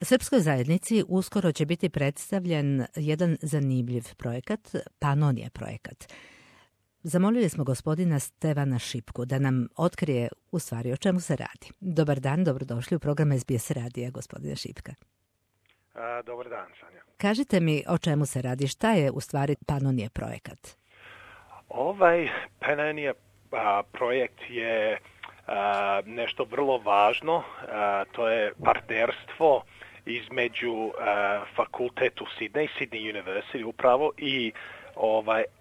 Srpskoj zajednici uskoro će biti predstavljen jedan zanimljiv projekat, Panonije projekat. Zamolili smo gospodina Stevana Šipku da nam otkrije u stvari o čemu se radi. Dobar dan, dobrodošli u program SBS radija, gospodine Šipka. Dobar dan, Sanja. Kažite mi o čemu se radi, šta je u stvari Panonije projekat? Ovaj Panonije projekt je nešto vrlo važno, to je partnerstvo između fakultetu Sydney University upravo i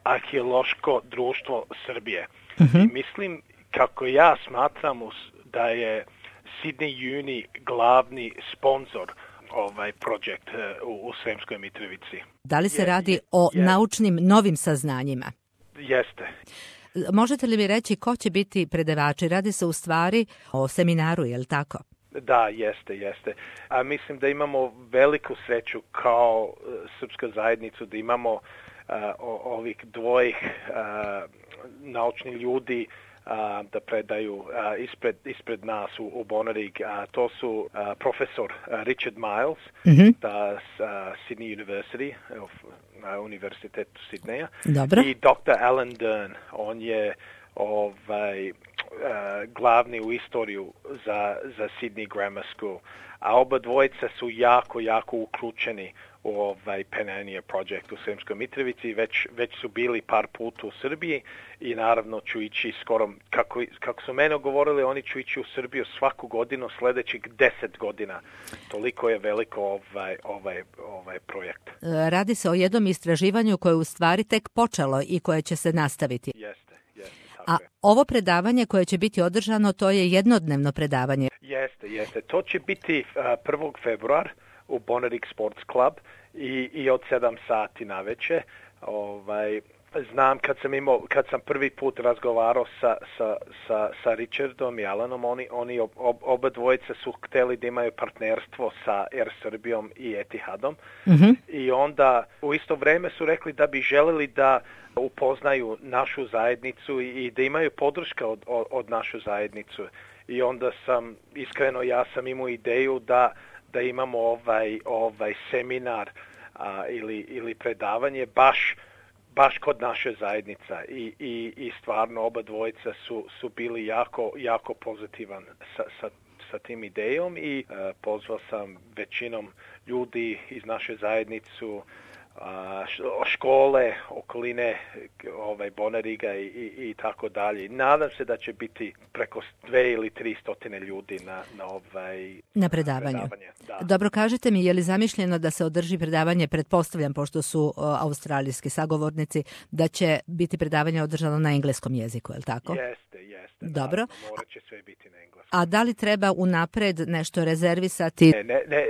arheološko društvo Srbije. I mislim, kako ja smatram, da je Sydney Uni glavni sponsor ovaj projekt u Sremskoj Mitrovici. Da li se radi o naučnim novim saznanjima? Jeste. Možete li mi reći ko će biti predavači? Radi se u stvari o seminaru, je li tako? Da, jeste. A mislim da imamo veliku sreću kao srpska zajednica da imamo ovih dvojih naučnih ljudi da predaju ispred nas u Bonarig. To su profesor Richard Miles da Sydney University, Univerzitetu Sidneja. Dobro. I dr. Alan Dern, on je glavni u istoriju za Sydney Grammar School. A oba dvojica su jako uključeni u Panonije projekt u Sremskoj Mitrovici. Već su bili par puta u Srbiji i naravno ću ići skoro, kako su mene govorili, oni ću ići u Srbiju svaku godinu sljedećih 10 godina. Toliko je veliko ovaj projekt. Radi se o jednom istraživanju koje je u stvari tek počelo i koje će se nastaviti. Jeste. A ovo predavanje koje će biti održano, to je jednodnevno predavanje. Jeste. To će biti 1. februar u Bonarig Sports Club i od 7 sati naveče. Znam kad sam prvi put razgovarao sa Richardom i Alanom, oni oba dvojice su htjeli da imaju partnerstvo sa Air Srbijom i Etihadom. I onda u isto vrijeme su rekli da bi želeli da upoznaju našu zajednicu i da imaju podrška od našu zajednicu. I onda ja sam imao ideju da imamo ovaj seminar ili predavanje baš kod naše zajednica i stvarno oba dvojica su bili jako pozitivan sa tim idejom i pozvao sam većinom ljudi iz naše zajednicu, škole, okoline Bonariga i tako dalje. Nadam se da će biti preko 2 ili 300 ljudi na predavanju. Da. Dobro, kažite mi, je li zamišljeno da se održi predavanje, pretpostavljam, pošto su australijski sagovornici, da će biti predavanje održano na engleskom jeziku, je li tako? Jeste. Dobro. Morat će sve biti na engleskom. A da li treba unapred nešto rezervisati? Ne,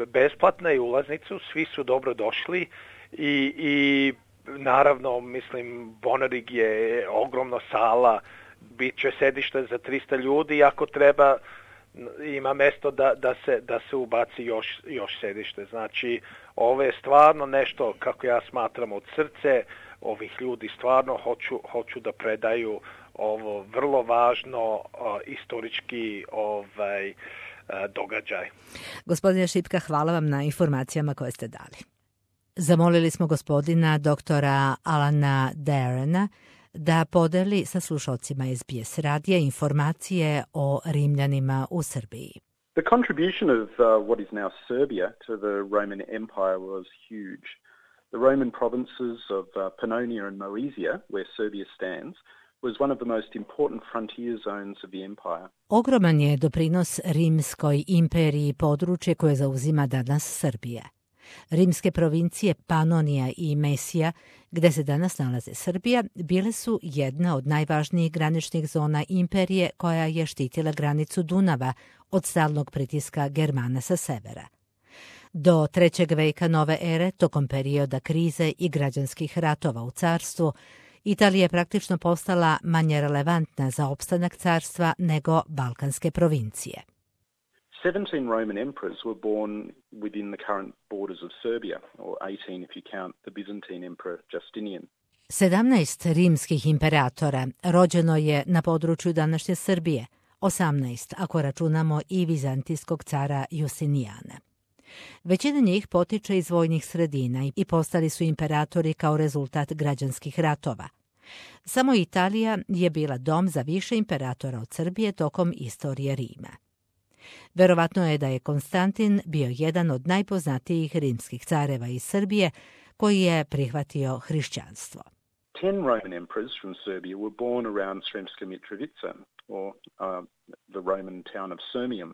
besplatna je ulaznicu, svi su dobro došli i naravno, mislim, Bonarig je ogromna sala, bit će sedište za 300 ljudi, ako treba ima mjesto da se ubaci još sedište. Znači, ovo je stvarno nešto, kako ja smatram, od srce ovih ljudi, stvarno hoću da predaju ovo vrlo važno historički događaj. Gospodine Šipka, hvala vam na informacijama koje ste dali. Zamolili smo gospodina doktora Alana Derena da podeli sa slušalcima SBS radija informacije o Rimljanima u Srbiji. The contribution of what is now Serbia to the Roman Empire was huge. The Roman provinces of Pannonia and Moesia, where Serbia stands, was one of the most important frontier zones of the empire. Ogroman je doprinos Rimskoj imperiji područje koje zauzima danas Srbija. Rimske provincije Panonija i Mesija, gde se danas nalaze Srbija, bile su jedna od najvažnijih graničnih zona imperije koja je štitila granicu Dunava od stalnog pritiska Germana sa severa. Do 3. veka nove ere, tokom perioda krize i građanskih ratova u carstvu, Italija je praktično postala manje relevantna za opstanak carstva nego balkanske provincije. 17 Roman emperors were born within the current borders of Serbia, or 18 if you count the Byzantine emperor Justinian. 17 rimskih imperatora rođeno je na području današnje Srbije, 18 ako računamo i vizantijskog cara Justinijana. Većina njih potiče iz vojnih sredina i postali su imperatori kao rezultat građanskih ratova. Samo Italija je bila dom za više imperatora od Srbije tokom istorije Rima. Verovatno je da je Konstantin bio jedan od najpoznatijih rimskih careva iz Srbije koji je prihvatio hrišćanstvo. 10 Roman emperors from Serbia were born around Sremska Mitrovica, or the Roman town of Sirmium.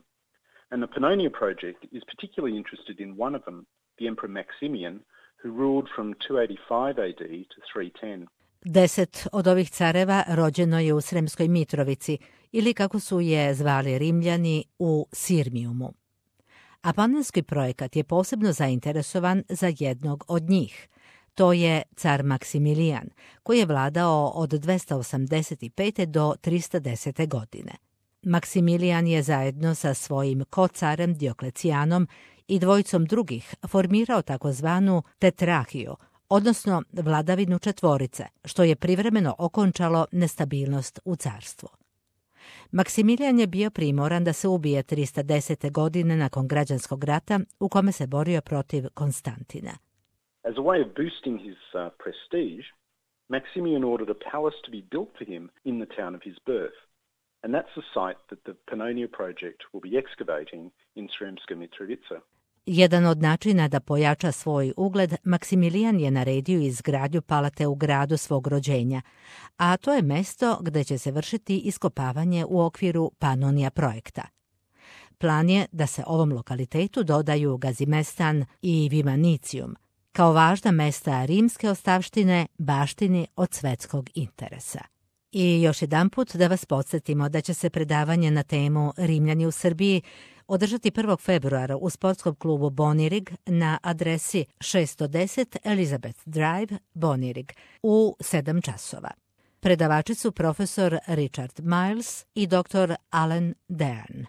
And the Pannonia Project is particularly interested in one of them, the Emperor Maximian, who ruled from 285 AD to 310. 10 od ovih careva rođeno je u Sremskoj Mitrovici, ili kako su je zvali Rimljani, u Sirmijumu. A Panonski projekat je posebno zainteresovan za jednog od njih. To je car Maksimilijan, koji je vladao od 285. do 310. godine. Maksimilijan je zajedno sa svojim kocarem Dioklecijanom i dvojicom drugih formirao takozvanu tetrahiju, odnosno vladavinu četvorice, što je privremeno okončalo nestabilnost u carstvu. Maksimilijan je bio primoran da se ubije 310. godine nakon građanskog rata u kome se borio protiv Konstantina. As a way of boosting his prestige, Maximian ordered a palace to be built for him in the town of his birth. And that's the site that the Pannonia Project will be excavating in Sremska Mitrovica. Jedan od načina da pojača svoj ugled, Maksimilijan je naredio izgradnju palate u gradu svog rođenja, a to je mesto gde će se vršiti iskopavanje u okviru Pannonia projekta. Plan je da se ovom lokalitetu dodaju Gazimestan i Vimanicium, kao važna mesta rimske ostavštine, baštini od svetskog interesa. I još jedanput da vas podsjetimo da će se predavanje na temu Rimljani u Srbiji održati 1. februara u sportskom klubu Bonirig na adresi 610 Elizabeth Drive, Bonirig, u 7 časova. Predavači su profesor Richard Miles i dr. Alan Dean.